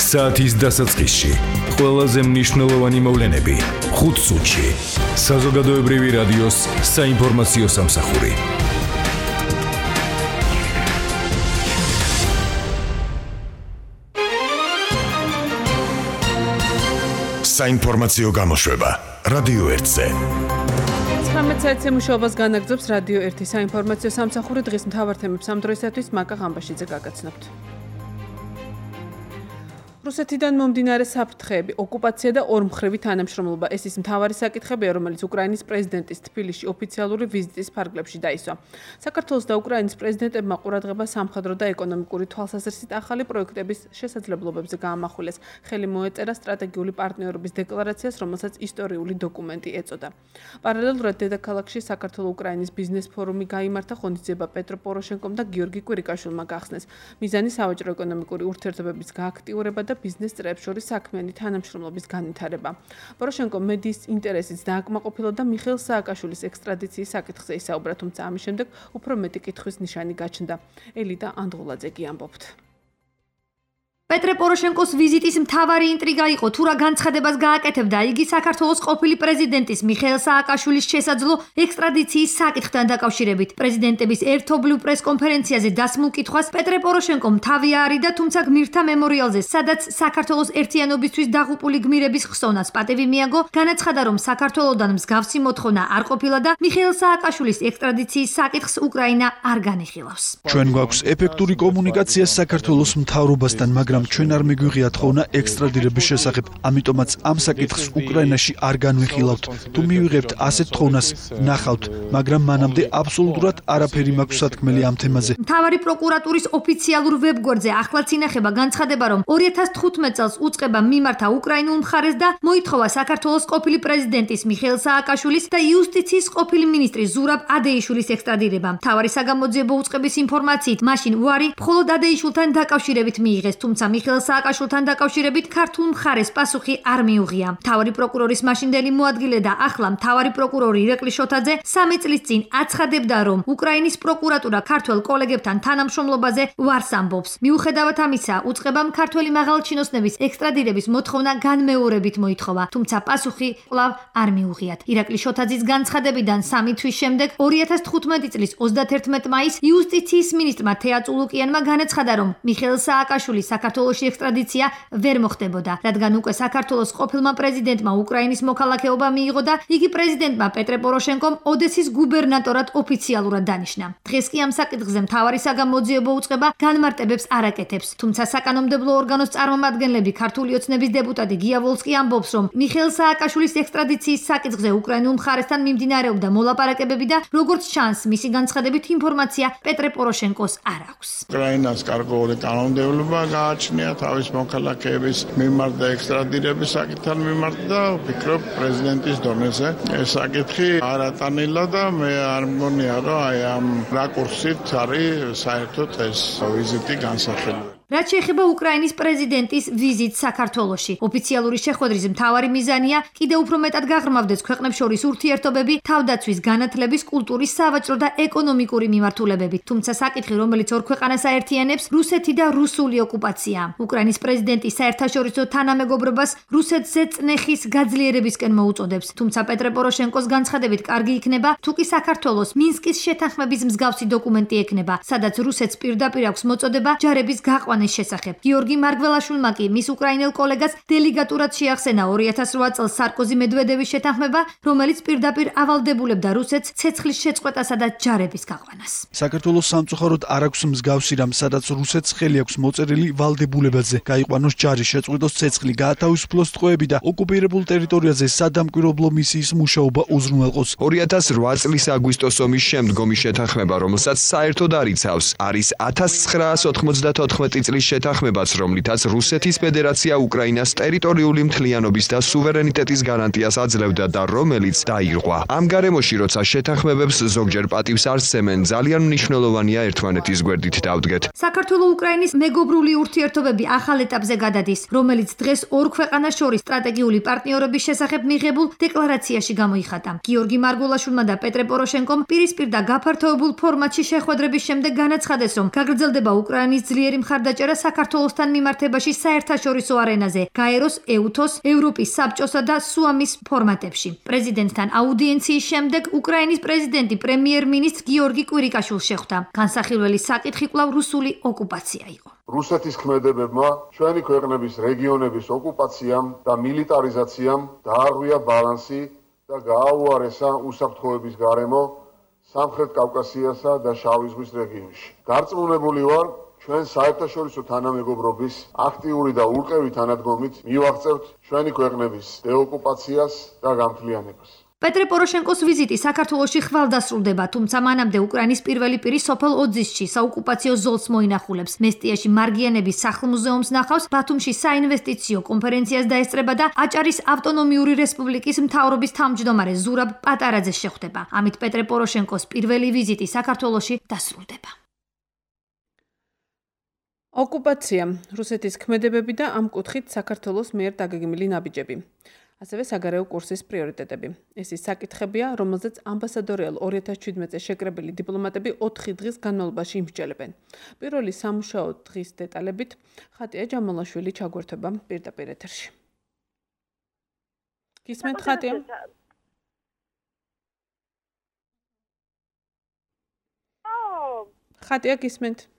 საათის დასაწყისში ყველაზე მნიშვნელოვანი მოვლენები 5 წუთში. საზოგადოებრივი რადიოს საინფორმაციო სამსახური. საინფორმაციო გამოშვება რადიო 1-ზე. 19 საათზე მუშაობას განაგრძობს რადიო 1 საინფორმაციო სამსახური. დღის მთავარ თემებს ამ დროისათვის მაკა ღამბაშიძე გაგაცნობთ. რუსეთიდან მომდინარე საფრთხეები, ოკუპაცია და ორმხრივი თანამშრომლობა ეს ის მთავარი საკითხებია, რომელიც უკრაინის პრეზიდენტის თბილისში ოფიციალური ვიზიტის ფარგლებში დაისვა. საქართველოს და უკრაინის პრეზიდენტებმა ყურადღება სამხედრო და ეკონომიკური თვალსაზრისით ახალი პროექტების შესაძლებლობებზე გაამახვილეს. ხელი მოეწერა სტრატეგიული პარტნიორობის დეკლარაციას, რომელსაც ისტორიული დოკუმენტი ეწოდა. პარალელურად დედაქალაქში საქართველო-უკრაინის ბიზნეს ფორუმი გაიმართა, ღონისძიება პეტრო პოროშენკომ და გიორგი კვირიკაშვილმა გახსნეს. მიზანი საავაჭრო ეკონომიკური ურთიერთობების გააქტიურება და ბიზნეს წრეებს შორის საქმიანი თანამშრომლობის განვითარება. პოროშენკო მედიის ინტერესით დააკმაყოფილა და მიხეილ სააკაშვილის ექსტრადიციის საკითხზე ისაუბრა, თუმცა ამის შემდეგ უფრო მეტი კითხვის ნიშანი გაჩნდა. ელიტა ანდღულაძე კი ამბობთ. პეტრე პოროშენკოს ვიზიტის მთავარი ინტრიგა იყო თუ რა განცხადებას გააკეთებდა იგი საქართველოს ყოფილი პრეზიდენტის მიხეილ სააკაშვილის შესაძლო ექსტრადიციის საკითხთან დაკავშირებით. პრეზიდენტების ერთობლივ პრესკონფერენციაზე დასმულ კითხვას პეტრე პოროშენკომ თავი აარიდა, თუმცა გმირთა მემორიალზე, სადაც საქართველოს ერთიანობისთვის დაღუპული გმირების ხსოვნას პატივი მიაგო, განაცხადა, რომ საქართველოდან მსგავსი მოთხოვნა არ ყოფილა და მიხეილ სააკაშვილის ექსტრადიციის საკითხს უკრაინა არ განიხილავს. ჩვენ გვაქვს ეფექტური კომუნიკაცია საქართველოს მთავრობასთან, მაგრამ ჩვენ არ მიგვიღია თხოვნა ექსტრადირების შესახებ, ამიტომაც ამ საკითხს უკრაინაში არ განვიხილავთ. თუ მივიღებთ ასეთ თხოვნას, ნახავთ, მაგრამ მანამდე აბსოლუტურად არაფერი მაქვს სათქმელი ამ თემაზე. მთავარი პროკურატურის ოფიციალურ ვებგვერდზე ახლაც ინახება განცხადება, რომ 2015 წელს უწყება მიმართა უკრაინულ მხარეს და მოითხოვა საქართველოს ყოფილი პრეზიდენტის მიხეილ სააკაშვილის და იუსტიციის ყოფილი მინისტრის ზურაბ ადეიშვილის ექსტრადირება. მთავარი საგამოძიებო უწყების ინფორმაციით, მაშინ უარი მხოლოდ ადეიშვილთან დაკავშირებით მიიღეს, თუმცა მიხეილ სააკაშვილთან დაკავშირებით ქართულ მხარეს პასუხი არ მიუღია. მთავარი პროკურორის მაშინდელი მოადგილე და ახლა მთავარი პროკურორი ირაკლი შოთაძე 3 წლის წინ აცხადებდა, რომ უკრაინის პროკურატურა ქართველ კოლეგებთან თანამშრომლობაზე ვარს ამბობს. მიუხედავად ამისა, უწყებამ ქართველი მაღალჩინოსნების ექსტრადირების მოთხოვნა განმეორებით მოითხოვა, თუმცა პასუხი კვლავ არ მიუღიათ. ირაკლი შოთაძის განცხადებიდან 3 თვის შემდეგ 2015 წლის 31 მაისს იუსტიციის მინისტრმა თეა წულუკიანმა განაცხადა, რომ მიხეილ სააკაშვილის საქართველოში ექსტრადიცია ვერ მოხდებოდა, რადგან უკვე საქართველოს ყოფილმა პრეზიდენტმა უკრაინის მოქალაქეობა მიიღო და იგი პრეზიდენტმა პეტრე პოროშენკომ ოდესის გუბერნატორად ოფიციალურად დანიშნა. დღეს კი ამ საკითხზე მთავარი საგამოძიებო უწყება განმარტებებს არ აკეთებს, თუმცა საკანონმდებლო ორგანოს წარმომადგენლები ქართული ოცნების დეპუტატი გია ვოლსკი ამბობს, რომ მიხეილ სააკაშვილის ექსტრადიციის საკითხზე უკრაინულ მხარესთან მიმდინარეობდა მოლაპარაკებები და როგორც ჩანს, მისი განცხადებით ინფორმაცია პეტრე პოროშენკოს არ აქვს. უკრაინას კარგული კანონმდებლობა გააჩნია თავის მოქალაქეების მიმართ და ექსტრადირების საკითხთან მიმართ და ვფიქრობ პრეზიდენტის დონეზე ეს საკითხი არ ატანილა და მე არ მგონია, რომ აი ამ რაკურსით არის საერთოდ ეს ვიზიტი განსახილველი. რაც შეეხება უკრაინის პრეზიდენტის ვიზიტს საქართველოში, ოფიციალური შეხვედრის მთავარი მიზანია კიდევ უფრო მეტად გაღრმავდეს ქვეყნებს შორის ურთიერთობები, თავდაცვის, განათლების, კულტურის, სავაჭრო და ეკონომიკური მიმართულებებით. თუმცა საკითხი, რომელიც ორ ქვეყანას აერთიანებს, რუსეთი და რუსული ოკუპაცია. უკრაინის პრეზიდენტი საერთაშორისო თანამეგობრობას რუსეთზე წნეხის გაძლიერებისკენ მოუწოდებს. თუმცა პეტრე პოროშენკოს განცხადებით კარგი იქნება, თუ კი საქართველოს მინსკის შეთანხმების მსგავსი დოკუმენტი ექნება, სადაც რუსეთს პირდაპირ აქვს მოწოდება ჯარების გაყვანის შესახებ. გიორგი მარგველაშვილმა კი მის უკრაინელ კოლეგას დელეგატურად შეახსენა 2008 წელს სარკოზი-მედვედევის შეთანხმება, რომელიც პირდაპირ ავალდებულებდა რუსეთს ცეცხლის შეწყვეტასა და ჯარების გაყვანას. საქართველოს სამწუხაროდ არ აქვს მსგავსი რამ, სადაც რუსეთს ხელი აქვს მოწერილი ვალდებულებაზე, გაიყვანოს ჯარი, შეწყვეტოს ცეცხლი, გაათავისუფლოს ტყვეები და ოკუპირებულ ტერიტორიაზე სადამკვირვებლო მისიის მუშაობა უზრუნველყოს. 2008 წლის აგვისტოს ომის შემდგომი შეთანხმება, რომელსაც საერთოდ არ იცავს, არის 1994 წლის შეთანხმებაც, რომლითაც რუსეთის ფედერაცია უკრაინას ტერიტორიული მთლიანობის და სუვერენიტეტის გარანტიას აძლევდა და რომელიც დაირღვა. ამ გარემოში, როცა შეთანხმებებს ზოგჯერ პატივს არცემენ, ძალიან მნიშვნელოვანია ერთმანეთის გვერდით დავდგეთ. საქართველო-უკრაინის მეგობრული ურთიერთობები ახალ ეტაპზე გადადის, რომელიც დღეს ორ ქვეყანას შორის სტრატეგიული პარტნიორობის შესახებ მიღებულ დეკლარაციაში გამოიხატა. გიორგი მარგველაშვილმა და პეტრე პოროშენკომ პირისპირ და გაფართოებულ ფორმატში შეხვედრების შემდეგ განაცხადეს, რომ გაგრძელდება უკრაინის ძლიერი მხარდაჭერა გადაჭერა საქართველოსთან მიმართებაში საერთაშორისო არენაზე, გაეროს, ეუთოს, ევროპის საბჭოსა და სუამის ფორმატებში. პრეზიდენტთან აუდიენციის შემდეგ უკრაინის პრეზიდენტი პრემიერ-მინისტრ გიორგი კვირიკაშვილს შეხვდა. განსახილველი საკითხი კვლავ რუსული ოკუპაცია იყო. რუსეთის ქმედებებმა ჩვენი ქვეყნების რეგიონების ოკუპაციამ და მილიტარიზაციამ დაარღვია ბალანსი და გააუარესა უსაფრთხოების გარემო სამხრეთ კავკასიასა და შავი ზღვის რეგიონში. დარწმუნებული ვარ, ჩვენ საერთაშორისო თანამეგობრობის აქტიური და ურყევი თანადგომით მივაღწევთ ჩვენი ქვეყნების დეოკუპაციას და გამთლიანებას. პეტრე პოროშენკოს ვიზიტი საქართველოში ხვალდასრულდება, თუმცა მანამდე უკრაინის პირველი პირი სოფელ ოძისში საოკუპაციო ზოლს მოინახულებს. მესტიაში მარგიანების სახლ-მუზეუმს ნახავს, ბათუმში საინვესტიციო კონფერენციას დაესწრება და აჭარის ავტონომიური რესპუბლიკის მთავრობის თავმჯდომარე ზურაბ პატარაძეს შეხვდება. ამით პეტრე პოროშენკოს პირველი ვიზიტი საქართველოში დასრულდება. ოკუპაცია, რუსეთის ქმედებები და ამ კუთხით საქართველოს მიერ დაგეგმილი ნაბიჯები. ასევე საგარეო კურსის პრიორიტეტები. ეს ის საკითხებია, რომელზეც ამბასადორიალ 2017-ზე შეკრებილი დიპლომატები 4 დღის განმავლობაში იმსჯელებენ. პირველი სამუშაო დღის დეტალებით ხატია ჯამალაშვილი ჩაგვერთვება პირდაპირ ეთერში. გისმენთ ხატია? ხატია გისმენთ?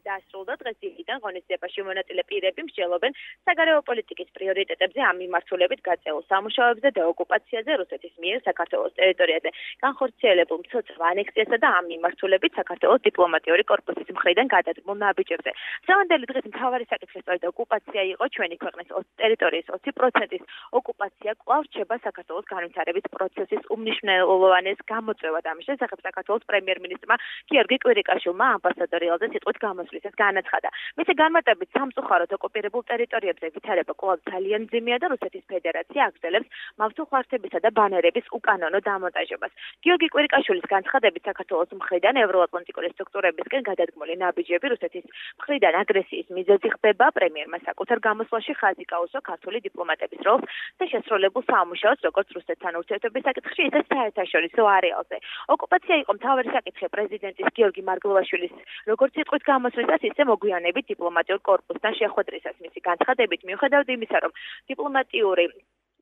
დასრულდა დღეს დილიდან ღონისძიებაში მონაწილე პირები მსჯელობენ საგარეო პოლიტიკის პრიორიტეტებზე ამ მიმართულებით გაწეულ სამუშაოებზე და ოკუპაციაზე რუსეთის მიერ საქართველოს ტერიტორიაზე განხორციელებულ მცოცავ ანექსიასა და ამ მიმართულებით საქართველოს დიპლომატიური კორპუსის მხრიდან გადადგმულ ნაბიჯებზე. დღევანდელი დღის მთავარი საკითხი სწორედ ოკუპაცია იყო. ჩვენი ქვეყნის ტერიტორიის 20%-ის ოკუპაცია კვლავ რჩება საქართველოს განვითარების პროცესის უმნიშვნელოვანეს გამოწვევად. ამის შესახებ საქართველოს პრემიერ-მინისტრმა გიორგი კვირიკაშვილმა ამბასადორიალზე სიტყვით გამოსვლისას განაცხადა. მისი განმარტებით სამწუხაროდ ოკუპირებულ ტერიტორიებზე ვითარება კვლავ ძალიან მძიმეა და რუსეთის ფედერაცია აგრძელებს მავთულხართებისა და ბანერების უკანონო დამონტაჟებას. გიორგი კვირიკაშვილის განცხადებით საქართველოს მხრიდან ევროატლანტიკური სტრუქტურებისკენ გადადგმული ნაბიჯები რუსეთის მხრიდან აგრესიის მიზეზი ხდება. პრემიერმა საკუთარ გამოსვლაში ხაზი გაუსვა ქართული დიპლომატების როლს და შესრულებულ სამუშაოს როგორც რუსეთთან ურთიერთობის საკითხში, ისე საერთაშორისო არეალზე. ოკუპაცია იყო მთავარი საკითხი პრეზიდენტის გიორგი მარგველაშვილის როგორც სიტყვით გამოსვლისას, ისე მოგვიანებით დიპლომატიურ კორპუსთან შეხვედრისას. მისი განცხადებით, მიუხედავად იმისა, რომ დიპლომატიური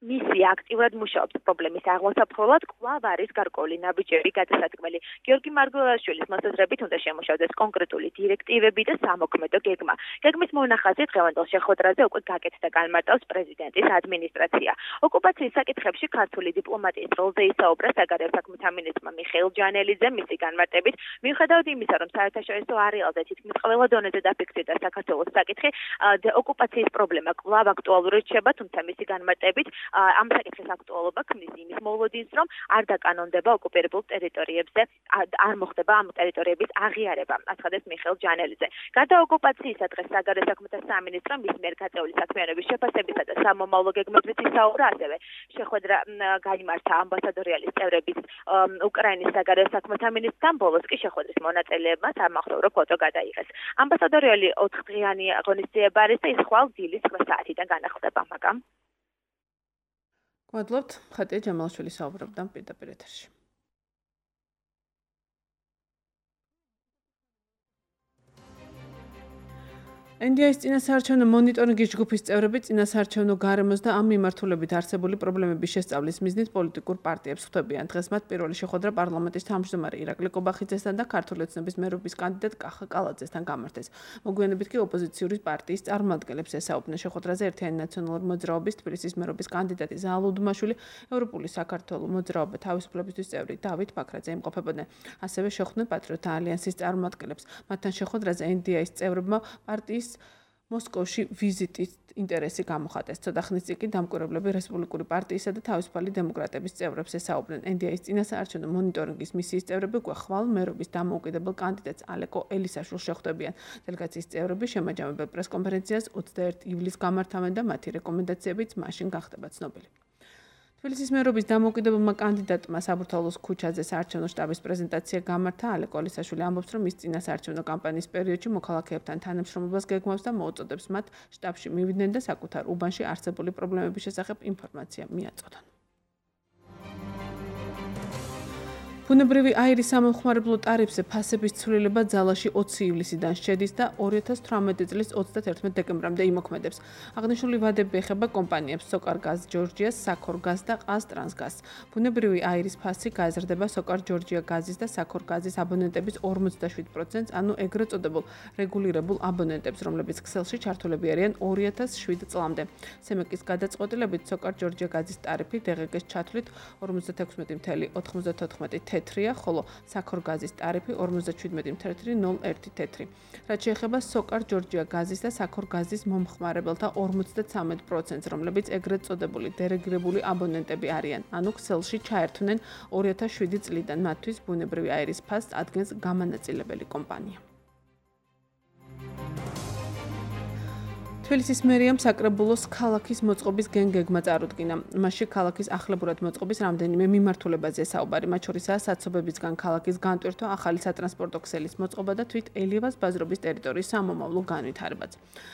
მისია აქტიურად მუშაობს პრობლემის აღმოსაფრთხებლად, კვლავ არის გარკვეული ნაბიჯები გადასადგმელი. გიორგი მარგველაშვილის მოსაზრებით უნდა შემუშავდეს კონკრეტული დირექტივები და სამოქმედო გეგმა. გეგმის მონახაზი დღევანდელ შეხვედრაზე უკვე გაკეთდა განმარტავს პრეზიდენტის ადმინისტრაცია. ოკუპაციის საკითხებში ქართული დიპლომატიის როლზე ისაუბრა საგარეო საქმეთა მინისტრმა მიხეილ ჯანელიძე. მისი განმარტებით, მიუხედავად იმისა, რომ საერთაშორისო არეალზე თითქმის ყველა დონეზე დაფიქსირდა საქართველოს საკითხი, ოკუპაციის პრობლემა კვლავ აქტუალური რჩება, თუმცა მისი განმარტებით ამ საკითხის აქტუალობა ქმნის იმის მოლოდინს, რომ არ დაკანონდება ოკუპირებულ ტერიტორიებზე, არ მოხდება ამ ტერიტორიების აღიარება, აცხადებს მიხეილ ჯანელიძე. გარდა ოკუპაციისა, დღეს საგარეო საქმეთა სამინისტრომ მის მიერ გაწეული საქმიანობის შეფასებისა და სამომავლო გეგმებზეც ისაუბრა, ასევე შეხვედრა გაიმართა ამბასადორიალის წევრების უკრაინის საგარეო საქმეთა მინისტრთან, ბოლოს კი შეხვედრის მონაწილეებმა სამახსოვრო ფოტო გადაიღეს. ამბასადორიალი 4 დღიანი ღონისძიება არის და ის ხვალ დილის 9 საათიდან განახლდება, მაგრამ გვადლობთ, ხატია ჯამალაშვილი საუბრობდა პირდაპირ ეთერში. NDI-ის წინასაარჩევნო მონიტორინგის ჯგუფის წევრები წინასაარჩევნო გარემოს და ამ მიმართულებით არსებული პრობლემების შესწავლის მიზნით პოლიტიკურ პარტიებს ხვდებიან. დღეს მათ პირველი შეხვედრა პარლამენტის თავმჯდომარე ირაკლი კობახიძესთან და ქართული ოცნების მერობის კანდიდატ კახა კალაძესთან გამართეს. მოგვიანებით კი ოპოზიციური პარტიის წარმომადგენლებს ესაუბრნენ. შეხვედრაზე ერთიანი ნაციონალური მოძრაობის თბილისის მერობის კანდიდატი ზაალ უდმაშვილი, ევროპული საქართველოს მოძრაობა თავისუფლებისთვის წევრი დავით ბაქრაძე იმყოფებოდნენ. ასევე შეხვდნენ პატრიოტთა ალიანსის წარმომადგენლებს. მათთან შეხვედრაზე NDI-ის წევრებმა პარტიის მოსკოვში ვიზიტის ინტერესი გამოხატეს. ცოტა ხნის წინ კი დამკვირვებლები რესპუბლიკური პარტიისა და თავისუფალი დემოკრატების წევრებს ესაუბრნენ. NDI-ის წინასაარჩევნო მონიტორინგის მისიის წევრები უკვე ხვალ მერობის დამოუკიდებელ კანდიდატს ალეკო ელისაშვილს შეხვდებიან. დელეგაციის წევრები შემაჯამებელ პრესკონფერენციას 21 ივლისს გამართავენ და მათი რეკომენდაციებიც მაშინ გახდება ცნობილი. თბილისის მერობის დამოუკიდებელმა კანდიდატმა საბურთალოს ქუჩაზე საარჩევნო შტაბის პრეზენტაცია გამართა. ალეკო ელისაშვილი ამბობს, რომ ის წინასაარჩევნო კამპანიის პერიოდში მოქალაქეებთან თანამშრომლობას გეგმავს და მოუწოდებს მათ შტაბში მივიდნენ და საკუთარ უბანში არსებული პრობლემების შესახებ ინფორმაცია მიაწოდონ. ბუნებრივი აირის სამომხმარებლო ტარიფზე ფასების ცვლილება ძალაში 20 ივლისიდან შედის და 2018 წლის 31 დეკემბრამდე იმოქმედებს. აღნიშნული ვადები ეხება კომპანიებს SOCARGAS Georgia, SACORGAS და QazTransGas. ბუნებრივი აირის ფასი გააზრდება SOCAR Georgia გაზის და SACORGAS-ის აბონენტების 47%, ანუ ეგრეთ წოდებულ რეგულირებულ აბონენტებს, რომლებიც ქსელში ჩართულები არიან 2007 წლამდე. SEMEC-ის გადაწყვეტილებით SOCAR Georgia გაზის ტარიფი DGG-ს ჩათვლით 56.94 თეთრია, ხოლო SACORGAS-ის ტარიფი 57.01 თეთრი. რაც შეეხება SOCAR Georgia გაზის და SACORGAS-ის მომხმარებელთა 53%, რომლებიც ეგრეთ წოდებული დერეგირებული აბონენტები არიან, ანუ ქსელში ჩაერთვნენ 2007 წლიდან, მათთვის ბუნებრივი აირის ფასს ადგენს გამანაწილებელი კომპანია. თბილისის მერიამ საკრებულოს ქალაქის მოწყობის გენგეგმა წარუდგინა. მასში ქალაქის ახლებურად მოწყობის რამდენიმე მიმართულებაზე საუბარი, მათ შორისაა საცობებისგან ქალაქის განტვირთვა, ახალი სატრანსპორტო ქსელის მოწყობა და თვით ელიევას ბაზრობის ტერიტორიის სამომავლო განვითარებაც.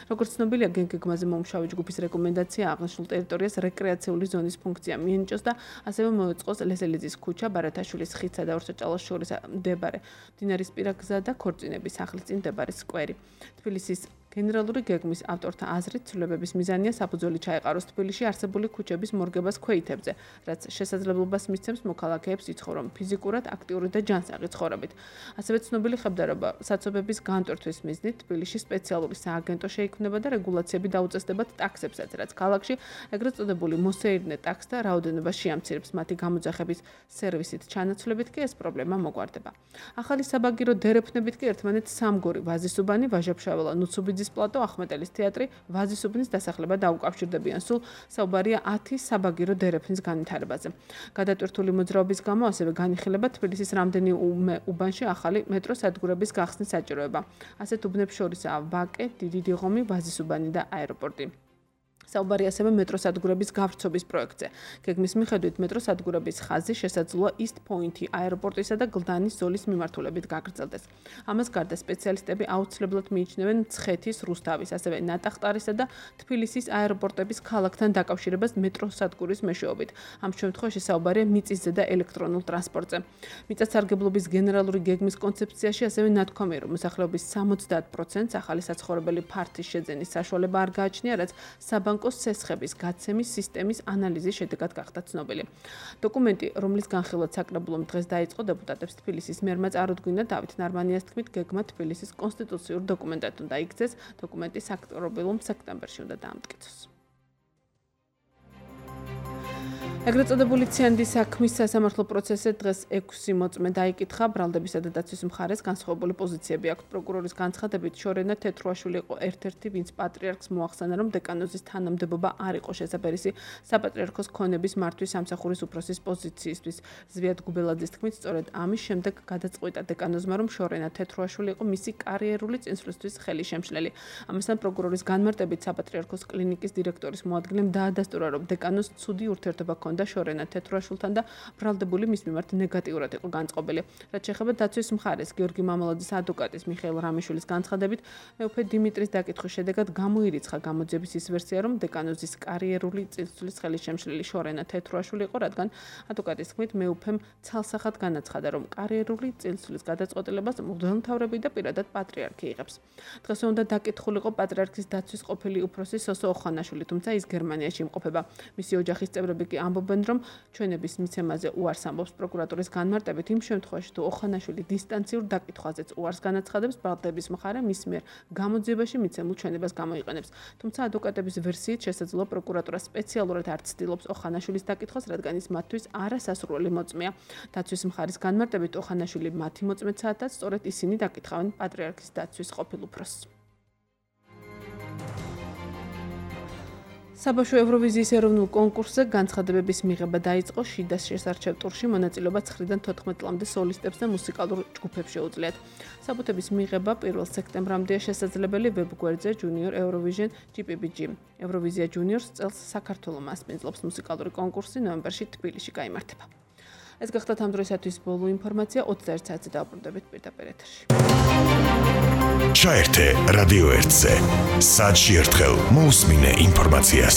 როგორც ცნობილია, გენგეგმაზე მომუშავე ჯგუფის რეკომენდაცია აღნიშნულ ტერიტორიას რეკრეაციული ზონის ფუნქცია მიენიჭოს და ასევე მოეწყოს ლესელიძის ქუჩა, ბარათაშვილის ხიდსა და ორსაჭალოს შორის მდებარე მდინარისპირა გზა და ქორწინების სახლის წინ მდებარე სკვერი. თბილისის გენერალური გეგმის ავტორთა აზრით, ცვლილებების მიზანია საფუძველი ჩაეყაროს თბილისში არსებული ქუჩების მორგებას ქვეითებზე, რაც შესაძლებლობას მისცემს მოქალაქეებს იცხოვრონ ფიზიკურად, აქტიური და ჯანსაღი ცხოვრებით. ასევე ცნობილი ხებდარობა საცობების განტვირთვის მიზნით თბილისში სპეციალური სააგენტო შეიქმნება და რეგულაციები დაუწესდებათ ტაქსებსაც, რაც ქალაქში ეგრეთ წოდებული მოსეირნე ტაქსთა რაოდენობა შეამცირებს. მათი გამოძახების სერვისით ჩანაცვლებით კი ეს პრობლემა მოგვარდება. ახალი საბაგირო დერეფნებით კი ერთმანეთს სამგორი, ვაზისუბანი, ვაჟა-ფშაველა, ნუცუბიძის პლატო, ახმეტელის თეატრი, ვაზისუბნის დასახლება დაუკავშირდებიან. სულ საუბარია 10 საბაგირო დერეფნის განვითარებაზე. გადატვირთული მოძრაობის გამო ასევე განიხილება თბილისის რამდენიმე უბანში ახალი მეტრო სადგურების გახსნის საჭიროება. ასეთ უბნებს შორისაა ვაკე, დიდი დიღომი, ვაზისუბანი და აეროპორტი. საუბარი ასევე მეტრო სადგურების გავრცობის პროექტზე. გეგმის მიხედვით მეტრო სადგურების ხაზი შესაძლოა East Point-ი აეროპორტისა და გლდანის ზოლის მიმართულებით გაგრძელდეს. ამას გარდა სპეციალისტები აუცილებლად მიიჩნევენ მცხეთის, რუსთავის, ასევე ნატახტარისა და თბილისის აეროპორტების ქალაქთან დაკავშირებას მეტრო სადგურის მეშვეობით. ამ შემთხვევაში საუბარია მიწისზე და ელექტრონულ ტრანსპორტზე. მიწათსარგებლობის გენერალური გეგმის კონცეფციაში ასევე ნათქვამია, რომ მოსახლეობის 70%-ს ახალი საცხოვრებელი ფართის შეძენის საშუალება არ გააჩნია, რაც საბანკო სესხების გაცემის სისტემის ანალიზის შედეგად გახდა ცნობილი. დოკუმენტი, რომლის განხილვაც საკრებულომ დღეს დაიწყო, დეპუტატებს თბილისის მერმა წარუდგინა. დავით ნარმანიას თქმით, გეგმა თბილისის კონსტიტუციურ დოკუმენტად უნდა იქცეს. დოკუმენტი საკრებულომ სექტემბერში უნდა დაამტკიცოს. ეგრეთ წოდებული ციანდის საქმის სასამართლო პროცესზე დღეს 6 მოწმე დაიკითხა. ბრალდებისა და დაცვის მხარეს განსხვავებული პოზიციები აქვს. პროკურორის განცხადებით, შორენა თეთრუაშვილი იყო ერთ-ერთი, ვინც პატრიარქს მოახსენა, რომ დეკანოზის თანამდებობა არ იყო შესაბერისი საპატრიარქოს ქონების მართვის სამსახურის უფროსის პოზიციისთვის. ზვიად გუბელაძის თქმით, სწორედ ამის შემდეგ გადაწყვიტა დეკანოზმა, რომ შორენა თეთრუაშვილი იყო მისი კარიერული წინსვლისთვის ხელისშემშლელი. ამასთან პროკურორის განმარტებით საპატრიარქოს კლინიკის დირექტორის მოადგილემ დაადასტურა, რომ დეკანოზს ცუდი ურთიერთობა და შორენა თეთრუაშვილთან და ბრალდებული მის მიმართ ნეგატიურად იყო განწყობილი. რაც შეეხება დაცვის მხარეს, გიორგი მამალაძის ადვოკატის მიხეილ რამიშვილის განცხადებით, მეუფე დიმიტრის დაკითხვის შედეგად გამოირიცხა გამოძიების ის ვერსია, რომ დეკანოზის კარიერული წინსვლის ხელისშემშლელი შორენა თეთრუაშვილი იყო, რადგან ადვოკატის თქმით, მეუფემ ცალსახად განაცხადა, რომ კარიერული წინსვლის გადაწყვეტილებას მღვდელმთავრები და პირადად პატრიარქი იღებს. დღეს უნდა დაკითხულიყო პატრიარქის დაცვის ყოფილი უფროსი სოსო ოხანაშვილი, თუმცა ის გერმანიაში იმყოფება. მისი ოჯახის წევრები კი ამბობენ, რომ ჩვენების მიცემაზე უარს ამბობს. პროკურატურის განმარტებით, იმ შემთხვევაში, თუ ოხანაშვილი დისტანციურ დაკითხვაზეც უარს განაცხადებს, ბრალდების მხარე მის მიერ გამოძიებაში მიცემულ ჩვენებას გამოიყენებს. თუმცა ადვოკატების ვერსიით შესაძლოა პროკურატურა სპეციალურად არ ცდილობს ოხანაშვილის დაკითხვას, რადგან ის მათთვის არასასურველი მოწმეა. დაცვის მხარის განმარტებით, ოხანაშვილი მათი მოწმეცადაც სწორედ ისინი დაკითხავენ პატრიარქის დაცვის ყოფილ უფროსს. საბავშვო ევროვიზიის ეროვნულ კონკურსზე განცხადებების მიღება დაიწყო. შიდას შესარჩევ ტურში მონაწილეობა 9-დან 14 წლამდე სოლისტებს და მუსიკალურ ჯგუფებს შეუძლიათ. საბუთების მიღება 1 სექტემბრამდეა შესაძლებელი ვებგვერდზე Junior Eurovision GPBG. ევროვიზია Juniors წელს საქართველოს მასპინძლობს მუსიკალური კონკურსი ნოემბერში თბილისში გაიმართება. ეს გახდათ ამ დროისათვის ბოლო ინფორმაცია. 21 საათზე დავბრუნდებით პირდაპირ ეთერში. ჩაერთე რადიო 1-ზე. საათში ერთხელ მოусმინე ინფორმაციას.